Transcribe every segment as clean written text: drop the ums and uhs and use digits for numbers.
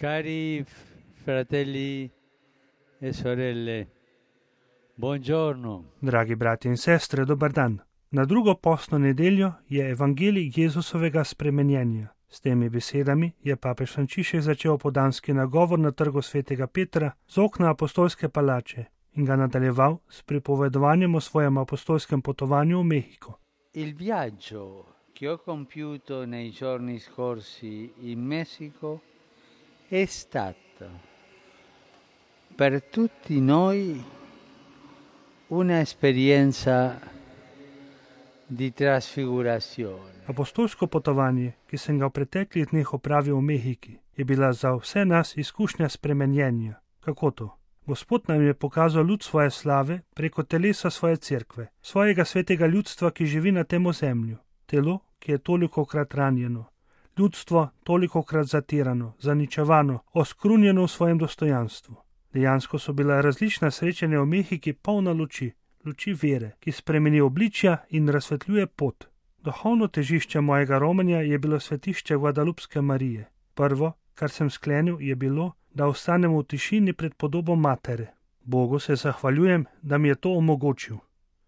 Cari fratelli e sorelle, buongiorno. Dragi brati in sestre, dobar dan. Na drugo postno nedeljo je evangelij Jezusovega spremenjenja. S temi besedami je papež Frančišek začel podanski nagovor na trgu svetega Petra z okna apostolske palače in ga nadaljeval s pripovedovanjem o svojem apostolskem potovanju v Mehiko. Il viaggio che ho compiuto nei giorni scorsi in Messico è stato per tutti noi una esperienza di trasfigurazione. Apostolsko potovanje, ki sem ga v preteklih dneh opravil v Mehiki, je bila za vse nas izkušnja spremenjenja. Kako to? Gospod nam je pokazal luč svoje slave preko telesa svoje cerkve, svojega svetega ljudstva, ki živi na tem ozemlju. Telo, ki je tolikokrat ranjeno, ljudstvo tolikokrat zatirano, zaničevano, oskrunjeno v svojem dostojanstvu. Dejansko so bila različna srečanja v Mehiki polna luči vere, ki spremeni obličja in razsvetljuje pot. Duhovno težišče mojega romanja je bilo svetišče Guadalupske Marije. Prvo, kar sem sklenil, je bilo, da ostanem v tišini pred podobo matere. Bogu se zahvaljujem, da mi je to omogočil.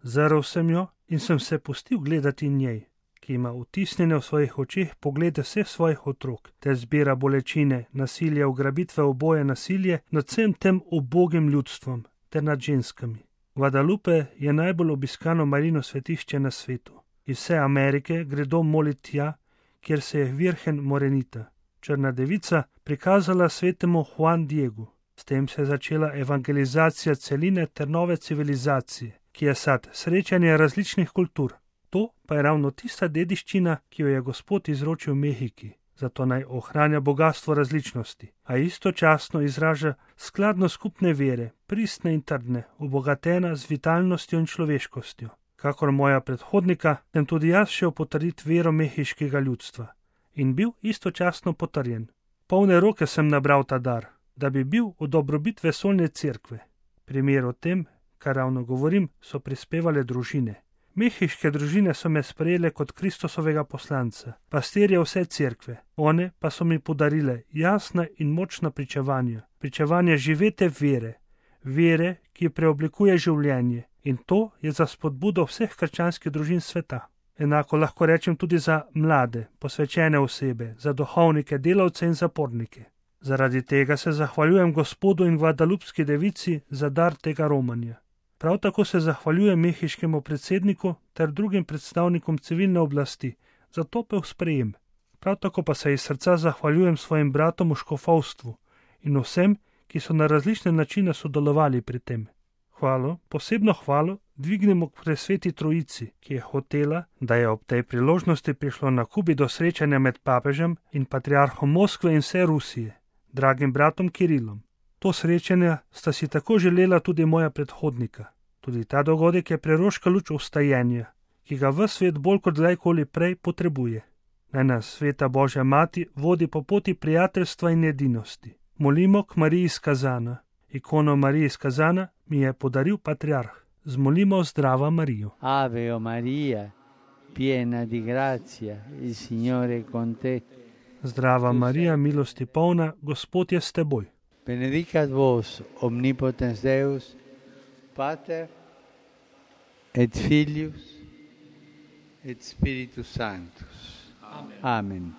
Zrl sem jo in sem se pustil gledati njej, ki ima vtisnjene v svojih očeh poglede vseh svojih otrok, ter zbira bolečine, nasilje, ugrabitve, oboje nasilje nad vsem tem ubogim ljudstvom ter nad ženskami. Guadalupe je najbolj obiskano Marijino svetišče na svetu. Iz vse Amerike gredo moliti tja, kjer se je Virgen Morenita, črna devica, prikazala svetemu Juan Diegu. S tem se je začela evangelizacija celine ter nove civilizacije, ki je sad srečanja različnih kultur. To pa je ravno tista dediščina, ki jo je Gospod izročil Mehiki, zato naj ohranja bogastvo različnosti, a istočasno izraža skladno skupne vere, pristne in trdne, obogatena z vitalnostjo in človeškostjo. Kakor moja predhodnika, sem tudi jaz šel potrditi vero mehiškega ljudstva in bil istočasno potrjen. Polne roke sem nabral ta dar, da bi bil v dobrobit vesoljne cerkve. Primer o tem, kar ravno govorim, so prispevale družine. Mehiške družine so me sprejele kot Kristusovega poslanca, pastirje vse cerkve. One pa so mi podarile jasna in močna pričevanja živete vere, ki preoblikuje življenje. In to je za spodbudo vseh krščanskih družin sveta. Enako lahko rečem tudi za mlade, posvečene osebe, za duhovnike, delavce in zapornike. Zaradi tega se zahvaljujem Gospodu in Guadalupski devici za dar tega romanja. Prav tako se zahvaljujem mehiškemu predsedniku ter drugim predstavnikom civilne oblasti za topel sprejem. Prav tako pa se iz srca zahvaljujem svojim bratom v škofovstvu in vsem, ki so na različne načine sodelovali pri tem. Posebno hvalo dvignemo k presveti trojici, ki je hotela, da je ob tej priložnosti prišlo na Kubi do srečanja med papežem in patriarhom Moskve in vse Rusije, dragim bratom Kirilom. To srečanje sta si tako želela tudi moja predhodnika. Tudi ta dogodek je preroška luč vstajenja, ki ga ves svet bolj kot kdajkoli prej potrebuje. Naj nas sveta Božja mati vodi po poti prijateljstva in edinosti. Molimo k Mariji iz Kazana. Ikono Marije iz Kazana mi je podaril patriarh. Zmolimo zdrava Marijo. Ave o Maria, piena di grazia, il Signore è con te. Zdrava Marija, milosti polna, Gospod je s teboj. Benedicat vos omnipotens Deus, Pater et Filius et Spiritus Sanctus. Amen.